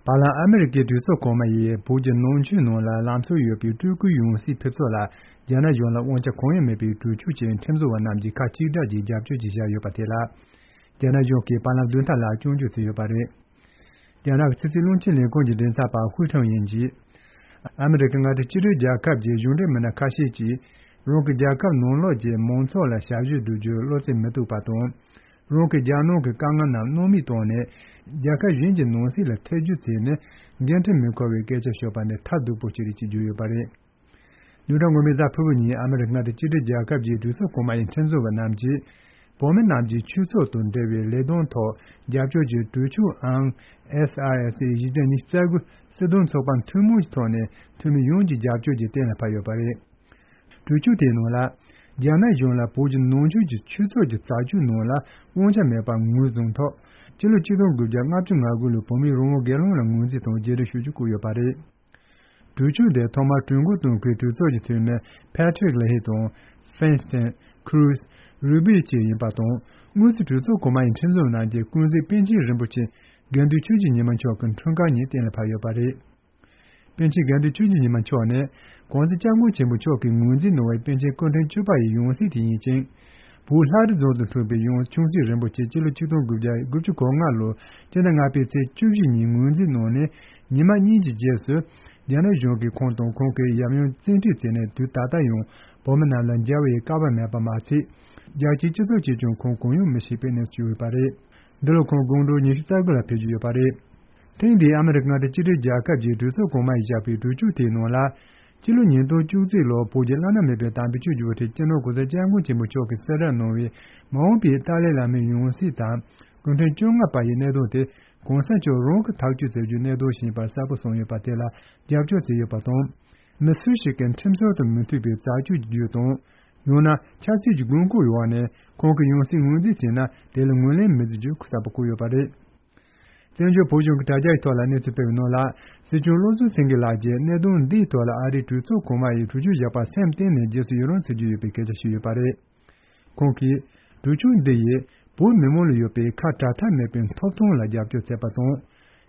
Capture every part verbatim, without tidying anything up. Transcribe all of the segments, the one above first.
བར་ལམ་ཨ་མི་རི་ཀའི་གྲོས་ཚོགས་གོང་མ་ཡིས་བོད་ཀྱི་ནང་ཆོས་ནང་ལ་ལམ་སྲོལ་ཡོད་པའི་སྤྲུལ་སྐུའི་ཡང་སྲིད་ཕེབས་ཕྱོགས་ལ་རྒྱ་ནག་གཞུང་ལ་དབང་ཆ་གང་ཡང་མེད་པའི་གྲོས་ཆོད་ཅིག་ཁྲིམས་བཟོ་བ་རྣམས་ཀྱིས་ཁ་གཅིག་གྲགས་ཀྱིས་རྒྱབ་སྐྱོར་གྱིས་བཞག་ཡོད་པ་དེ་ལ། རྒྱ་ནག་གཞུང་གིས་བར་ལམ་བདུན་ཕྲག་ལ་སྐྱོན་བརྗོད་བྱས་ཡོད་པ་རེད། རྒྱ་ནག་གི་ཕྱི་སྲིད་བློན་ཆེན་ལས་ཁུངས་ཀྱི་མགྲིན་ཚབ་པ་ཧུའུ་ཁྲང་ཡིན་གྱིས། ཨ་མི་རི་ཀ་མངའ་སྡེ་གཅིག་སྒྲིལ་རྒྱལ་ཁབ་ཀྱི་གཞུང་འབྲེལ་མི་སྣ་ཁ་ཤས་ཀྱིས། རང་གི་རྒྱལ་ཁབ་ནང་ལོགས་ཀྱི་མང་ཚོགས་ལ་ཞབས་ཞུ་སྒྲུབ་རྒྱུར་བློ་རྩེ་མི་གཏུག་པ་དང་། རང་གི་རྒྱལ་ནང་གི་དཀའ་ངལ་རྣམས་སྣང་མེད་བཏང་ནས། རྒྱལ་ཁབ་གཞན་གྱི་ནང་སྲིད་ལ་ཐེ་ཇུས་བྱས་ནས། འགན་འཁྲི་མི་འཁུར་བའི་སྐད་ཆ་ཤོད་པ་ནི་ཐབས་སྡུག་པོ་ཞིག་རེད་ཅེས་བརྗོད་ཡོད་པ་རེད། ཉེ་ཆར་སྔོན་མའི་གཟའ་ཕུར་བུ་ཉིན་ཨ་མི་རི་ཀ་མངའ་སྡེ་གཅིག་སྒྲིལ་རྒྱལ་ཁབ་ཀྱི་གྲོས་ཚོགས་གོང་མ་ཡི་ཁྲིམས་བཟོ་བ་རྣམས་ཀྱིས། བོད་མི་རྣམས་ཀྱི་ཆོས་ཕྱོགས་དང་འབྲེལ་བའི་ལས་དོན་ཐོག་རྒྱབ་སྐྱོར་གྱི་གྲོས་ཆོད་ཨང་། S R S A བཞི་བརྒྱ་ཉི་ཤུ་རྩ་དགུ་སྲིད་དོན་ཚོགས་པ་ཐུན་མོང་གི་ཐོག་ནས་འཐུས་མི་ཡོངས་ཀྱི་རྒྱབ་སྐྱོར་གྱིས་གཏན་ལ་ཕབ་ཡོད་པ་རེད། གྲོས་ཆོད་དེའི་ནང་ལ། རྒྱ་ནག་གཞུང་ལ་བོད་ཀྱི་ནང་ཆོས་ཀྱི་ཆོས་ཕྱོགས་ཀྱི་རྩ་ཆོད་ནང་ལ་དབང་ཆ་མེད་པ་ངོས་བཟུང་ཐོག་སྤྱི་ལོ་ཆིག་སྟོང་དགུ་བརྒྱ་ལྔ་བཅུ་ང་དགུ་ལོའི་བོད་མིའི་རང་དབང་སྒེར་ལངས་ལ་ངོས་འཛིན་དང་རྗེས་འབྲང་ཞུ་རྒྱུ་བཀོད་ཡོད་པ་རེད། གྲོས་ཆོད་དེ་ཐོག་མར་གྲོས་འགོ་བཏོན་མཁན་གྲོས་ཚོགས་ཀྱི་འཐུས་མི་Patrick Leahy དང་Feinstein། Cruz། Rubio བཅས་ཡིན་པ་དང་། དངོས་སུ་གྲོས་ཚོགས་གོང་མ་ཡི་ཁྲིམས་བཟོ་རྣམས་ཀྱིས་ཀུན་གཟིགས་པཎ་ཆེན་རིན་པོ་ཆེ་དགེ་འདུན་ཆོས་ཀྱི་ཉི་མ་མཆོག་གི་འཁྲུངས་སྐར་ཉིན་གཏན་ལ་ཕབ་ཡོད་པ་རེད། པཎ་ཆེན་དགེ་འདུན་ཆོས་ཀྱི་ཉི་མ་མཆོག་ནི། གོང་ས་སྐྱབས་མགོན་ཆེན་པོ་མཆོག་གིས་ངོས་འཛིན་གནང་བའི་པཎ་ཆེན་སྐུ་ཕྲེང་བཅུ་པ་ཡི་ཡང་སྲིད་དེ་ཡིན་ཅིང་། བོད་ལྷ་རི་རྫོང་དུ་འཁྲུངས་པའི་ཡང་ཆུང་སྲིད་རིན་པོ་ཆེ་སྤྱི་ལོ་ཆིག་སྟོང་དགུ་བརྒྱ་དགུ་བཅུ་གོ་ལྔ་ལོར་སྤྱི་ཟླ་ལྔ་པའི་ཚེས་བཅུ་བཞི་ཉིན་ངོས་འཛིན་གནང་ནས། ཉི་མ་གཉིས་ཀྱི་རྗེས་སུ། རྒྱ་ནག་གཞུང་གིས་ཁོང་དང་ཁོང་གི་ཡབ་ཡུམ་བཙན་ཁྲིད་བྱས་ནས། དུས་ད་ལྟ་ཡང་བོད་མི་རྣམས་ལ་མཇལ་བའི་སྐལ་བ་མེད་པ་མ་ཚད། རྒྱལ་སྤྱིའི་སྤྱི་ཚོགས་ཀྱིས་ཀྱང་ཁོང་གང་ཡང་མི་ཤེས་པའི་གནས་སུ་གྱུར་ཡོད་པ་རེད། འདི་ལོ་ཁོང་དགུང་གྲངས་ཉི་ཤུ་རྩ་དགུ་ལ་ཕེབས་ཀྱི་ཡོད་པ་རེད། ཐེངས་འདིའི་ཨ་མི་རི་ཀ་མངའ་སྡེ་གཅིག་སྒྲིལ་རྒྱལ་ཁབ་ཀྱི་གྲོས་ཚོགས་གོང་མ་ཡིས་བཞག་པའི་གྲོས་ཆོད་དེའི་ནང་ལ། སྤྱི་ལོ་ཉིས་སྟོང་བཅུ་གཅིག་ལོར་བོད་ཀྱི་བླ་ན་མེད་པའི་དམ་པའི་ཆོས་ཀྱི་དབུ་ཁྲིད་སྤྱི་ནོར་༸གོང་ས་༸སྐྱབས་མགོན་ཆེན་པོ་མཆོག་གིས་གསལ་བསྒྲགས་གནང་བའི་མ་འོངས་པའི་ཏཱ་ལའི་བླ་མའི་ཡང་སྲིད་དང་། སྐུ་ཕྲེང་བཅོ་ལྔ་པ་ཡི་གནད་དོན་དེ་༸གོང་ས་མཆོག་རང་གིས་ཐག་གཅོད་མཛད་རྒྱུའི་གནད་དོན་ཞིག་ཡིན་པར་གསལ་པོ་གསུངས་ཡོད་པ་དེ་ལ་རྒྱབ་སྐྱོར་བྱས་ཡོད་པ་དང་། མི་སུ་ཞིག་གིས་ཁྲིམས་སྲོལ་དང་མི་མཐུན་པའི་རྩ་ཆོད་ཀྱི་བརྒྱུད་དང་། ཡང་ན་ཆབ་སྲིད་ཀྱི་དགོས་མཁོའི་འོག་ནས་ཁོང་གི་ཡང་སྲིད་ངོས་འཛིན་བྱས་ན། དེ་ལ་ངོས་ལེན་མི་བྱེད་རྒྱུ་གསལ་པོ་བཀོད་ཡོད་པ་རེད། བཙན་བྱོལ་བོད་གཞུང་གི་དྲ་རྒྱའི་ཐོག་ལ་གནས་ཚུལ་སྤེལ་བའི་ནང་ལ། སྲིད་སྐྱོང་བློ་བཟང་སེང་གེ་ལགས་ཀྱིས་གནད་དོན་འདིའི་ཐོག་ལ་ཨ་རིའི་གྲོས་ཚོགས་གོང་མ་ཡིས་གྲོས་ཆོད་བཞག་པར་སེམས་གཏིང་ནས་རྗེས་སུ་ཡི་རང་བྱེད་ཀྱི་ཡོད་པའི་སྐད་ཆ་ཞུས་ཡོད་པ་རེད། ཁོང་གིས། གྲོས་ཆོད་འདི་ཡིས་བོད་མི་མང་ལ་ཡོད་པའི་ཁ་བྲལ་ཐབས་མེད་པའི་ཐོབ་ཐང་ལ་རྒྱབ་སྐྱོར་བྱས་པ་དང་།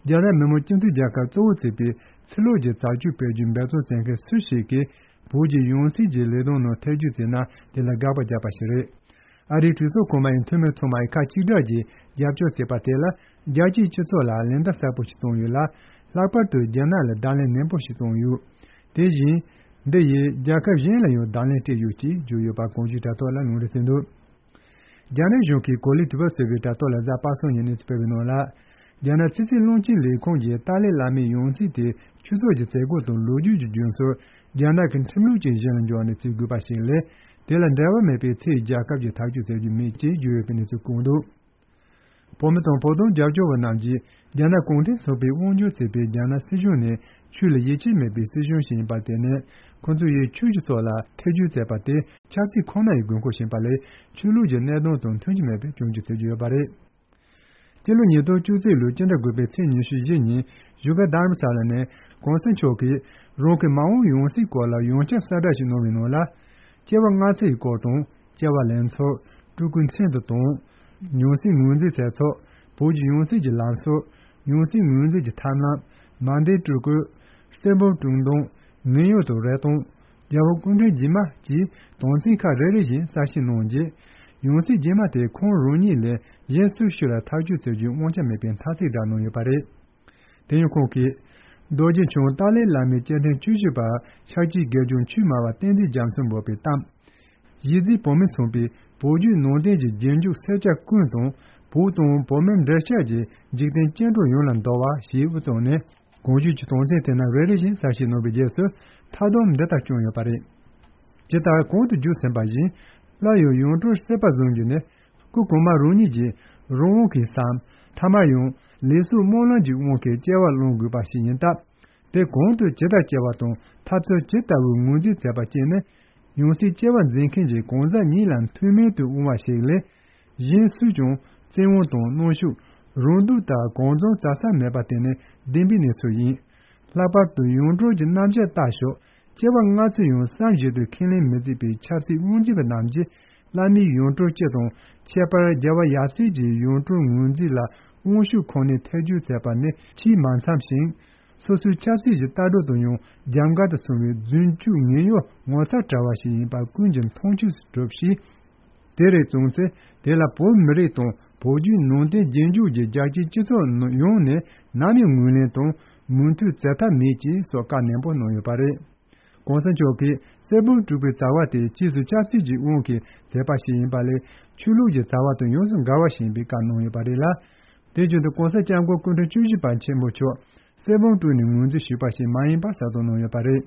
རྒྱ་ནག་མི་དམངས་སྤྱི་མཐུན་རྒྱལ་ཁབ་གཙོ་བོར་བརྩིས་པའི་ཕྱི་ལོགས་ཀྱི་རྩ་ཆོད་སྤེལ་རྒྱུའི་འབད་བརྩོན་བྱེད་མཁན་སུ་ཞིག་གིས་བོད་ཀྱི་ཡང་སྲིད་ཀྱི་ལས་དོན་ནང་ཐེ་ཇུས་བྱས་ན། དེ་ལ་དགག་པ་བརྒྱབ་པ་ཞིག་རེད། ཨ་རིའི་གྲོས་ཚོགས་གོང་མ་ཡི་འཐུས་མི་ཚང་མ་ཡིས་ཁ་གཅིག་གྲགས་ཀྱིས་རྒྱབ་སྐྱོར་བྱས་པ་དེ་ལ། རྒྱལ་སྤྱིའི་སྤྱི་ཚོགས་ལ་ལན་བརྡ་གསལ་པོ་ཞིག་བཏང་ཡོད་ལ། ལྷག་པར་དུ་རྒྱ་ནག་ལ་བརྡ་ལན་ནན་པོ་ཞིག་བཏང་ཡོད། དེ་བཞིན། འདི་ཡིས་རྒྱལ་ཁབ་གཞན་ལ་ཡང་བརྡ་ལན་སྤྲད་ཡོད་ཅེས་བརྗོད་ཡོད་པ་གོང་ཞུས་དྲ་ཐོག་ལ་ལུང་འདྲེན་བྱས་འདུག་རྒྱ་ནག་གཞུང་གིས་གོ་ལའི་དུས་བབ་ཟེར་བའི་དྲ་ཐོག་ལ་གཟའ་པ་སངས་ཉིན་གནས་ཚུལ་སྤེལ་བའི་ནང་ལ། རྒྱ་ནག་ཕྱི་སྲིད་བློན་ཆེན་ལས་ཁུངས་ཀྱིས་ཏཱ་ལའི་བླ་མའི་ཡང་སྲིད་དེ་ཆོས་ཕྱོགས་ཀྱི་མཛད་སྒོ་དང་ལོ་རྒྱུས་ཀྱི་རྒྱུན་སྲོལ། རྒྱ་ནག་གི་ཁྲིམས་ལུགས་ཀྱི་གཞི་ལ་འཇོག་ནས་བརྩི་དགོས་པ་ཞིག་ལས། དེ་ལ་འབྲེལ་བ་མེད་པའི་ཕྱིའི་རྒྱལ་ཁབ་ཀྱིས་ཐག་གཅོད་བྱ་རྒྱུ་མེད་ཅེས་བརྗོད་ཡོད་པའི་གནས་ཚུལ་བཀོད་འདུག་བོད་མི་དང་བོད་དོན་རྒྱབ་སྐྱོར་བ་རྣམས་ཀྱིས་རྒྱ་ནག་གུང་ཁྲན་ཚོགས་པས་དབང་སྒྱུར་བྱེད་པའི་རྒྱ་ནག་སྲིད་གཞུང་ནི་ཆོས་ལ་ཡིད་ཆེས་མེད་པའི་སྲིད་གཞུང་ཞིག་ཡིན་པ་དེ་ནི། ཁོ་ཚོ་ཡིས་ཆོས་ཀྱི་ཕྱོགས་ལ་ཐེ་ཇུས་བྱས་པ་དེ་ཆབ་སྲིད་ཁོ་ན་ཡི་དགོས་མཁོ་ཞིག་ཡིན་པ་ལས། ཆོས་ལུགས་ཀྱི་གནད་དོན་དང་མཐུན་གྱི་མེད་པའི་སྐྱོན་བརྗོད་བྱེད་ཀྱི་ཡོད་པ་རེད། སྤྱི་ལོ་ཉིས་སྟོང་བཅུ་གཅིག་ལོའི་སྤྱི་ཟླ་དགུ་པའི་ཚེས་ཉི་ཤུ་བཞི་ཉིན་བཞུགས་སྒར་དྷ་རམ་ས་ལ་ནས་གོང་ས་མཆོག་གིས་རང་གི་མ་འོངས་ཡང་སྲིད་སྐོར་ལ་ཡང་བསྐྱར་གསལ་བསྒྲགས་ཤིག་གནང་བའི་ནང་ལ། སྐྱེ་བ་སྔ་ཕྱི་ཡི་སྐོར་དང་། སྐྱེ་བ་ལེན་ཚུལ། སྤྲུལ་སྐུའི་མཚན་དུ་དང་། ཡང་སྲིད་ངོས་འཛིན་བྱས་ཚུལ། བོད་ཀྱི་ཡང་སྲིད་ཀྱི་ལམ་སྲོལ། ཡང་སྲིད་ངོས་འཛིན་གྱི་ཐབས་ལམ། མ་འདས་སྤྲུལ་སྐུ། གསེར་འབུམ་དྲུང་འདོན། མི་གཡོ་དང་རེ་སྟོང་། རྒྱལ་བ་སྐུ་ཕྲེང་རྗེས་མ་བཅས་དོན་ཚན་ཁག་རེ་རེ་བཞིན་གསལ་བཤད་གནང་རྗེས། ཡང་སྲིད་རྗེས་མ་དེ་ཁོང་རང་ཉིད་ལས་གཞན་སུ་ཞིག་ལ་ཐག་གཅོད་བྱེད་རྒྱུའི་དབང་ཆ་མེད་པའི་མཐའ་གཅིག་བསྒྲགས་གནང་ཡོད་པ་རེད། དེ་ཡང་ཁོང་གིས། རྡོ་རྗེ་འཆང་ཏཱ་ལའི་བླ་མའི་སྐྱེ་ཕྲེང་བཅུ་བཞི་པ་ཤཱཀྱའི་དགེ་སྦྱོང་ཆོས་སྨྲ་བ་བསྟན་འཛིན་རྒྱ་མཚོ་འབོད་པའི་གཏམ། གཞིས་རྩེའི་བོད་མི་ཚོགས་པས་བོད་བརྒྱུད་ནང་བསྟན་གྱི་རྗེས་འཇུག་སེར་སྐྱ་ཀུན་དང་། བོད་དང་བོད་མིའི་འབྲེལ་ཆགས་ཀྱི་འཇིག་རྟེན་སྐྱེ་འགྲོ་ཡོངས་ལ་འདུ་བ་ཞེས་དབུ་བཙུགས་ནས། གོང་ཞུས་ཀྱི་དོན་ཚན་དེ་རྣམས་རེ་རེ་བཞིན་གསལ་བཤད་གནང་བའི་རྗེས་སུ། མཐའ་སྡོམ་འདི་ལྟར་བསྐྱངས་ཡོད་པ་རེད། ཇི་ལྟར་གོང་དུ་བརྗོད་ཟིན་པ་བཞིན། སླར་ཡང་ཡང་སྤྲུལ་སྲིད་པ་བཟུང་རྒྱུ་ནི། སྐུ་གོང་མ་རང་ཉིད་ཀྱི་རང་དབང་གིས་སམ། ཐ་མར་ཡང་ལུས་སྲོག་སྨོན་ལམ་གྱི་དབང་གིས་སྐྱེ་བ་བླང་དགོས་པ་ཞིག་ཡིན་སྟབས། དེ་གང་དུ་ཇི་ལྟར་སྐྱེ་བ་དང་ཐབས་ཚུལ་ཇི་ལྟ་བུའི་ངོས་འཛིན་མཛད་པ་བཅས་ནི། ཡང་སྲིད་སྐྱེ་བ་འཛིན་མཁན་གྱི་གང་ཟག་ཉིད་ལ་མཐུན་མིན་དུ་འོང་བ་ཞིག་ལས། གཞན་སུས་ཀྱང་བཙན་དབང་དང་གནོན་ཤུགས། རང་སྡུག་ལྟར་གང་བྱུང་བྱ་ས་མེད་པ་དེ་ནི་བདེན་པའི་གནས་ཚུལ་ཡིན། ལྷག་པར་དུ་ཡང་སྤྲུལ་གྱི་རྣམ་གཞག་ལྟ་ཞོག་སྐྱེ་བ་སྔ་ཕྱི་ཡང་བསམ་བཞིན་དུ་ཁས་ལེན་མི་བྱེད་པའི་ཆབ་སྲིད་དབང་འཛིན་པ་རྣམས་ཀྱིས། བླ་མའི་ཡང་སྤྲུལ་སྤྱི་དང་། ཁྱད་པར་རྒྱལ་བ་ཡབ་སྲས་ཀྱི་ཡང་སྤྲུལ་ངོས་འཛིན་ལ་ དབང་ཤུགས་ཁོ་ནས་ཐེ་བྱུས་མཛད་པ་ནི་ཆེས་མ་འཚམས་ཤིང་། སོ་སོའི་ཆབ་སྲིད་ཀྱི་ལྟ་གྲུབ་དང་ཡང་རྒྱབ་འགལ་དུ་སོང་བའི་རྫུན་སྐྱུག་ངན་གཡོ་ངོ་ཚ་བྲལ་བ་ཞིག་ཡིན་པ་ཀུན་གྱིས་མཐོང་ཆོས་སུ་གྲུབ་ཞིང་། དེ་རེད་བྱུང་ཚེ་དེ་ལ་བོད་མི་རིགས་དང་བོད་བརྒྱུད་ནང་བསྟན་རྗེས་འཇུག་གི་རྒྱལ་སྤྱིའི་སྤྱི་ཚོགས་ནང་ཡོངས་ནས་ནམ་ཡང་ངོས་ལེན་དང་མོས་མཐུན་བྱེད་ཐབས་མེད་ཅེས་སོགས་བཀའ་ནན་པོ་གནང་ཡོད་པ་རེད། གོང་ས་མཆོག་གིས་གསེར་བུམ་དཀྲུགས་པའི་བྱ་བ་དེ་ཕྱིས་སུ་ཆབ་སྲིད་ཀྱི་དབང་གིས་མཛད་པ་ཞིག་ཡིན་པ་ལས་ཆོས་ལུགས་ཀྱི་བྱ་བ་དང་ཡོངས་སུ་འགལ་བ་ཞིག་ཡིན་པའི་བཀའ་གནང་ཡོད་པ་རེད་ལ། དེ་བཞིན་དུ་གོང་ས་སྐྱབས་མགོན་སྐུ་ཕྲེང་བཅུ་བཞི་པ་ཆེན་པོ་མཆོག་གསེར་བུམ་དཀྲུགས་ནས་ངོས་འཛིན་ཞུས་པ་ཞིག་མ་ཡིན་པ་གསལ་སྟོན་གནང་ཡོད་པ་རེད།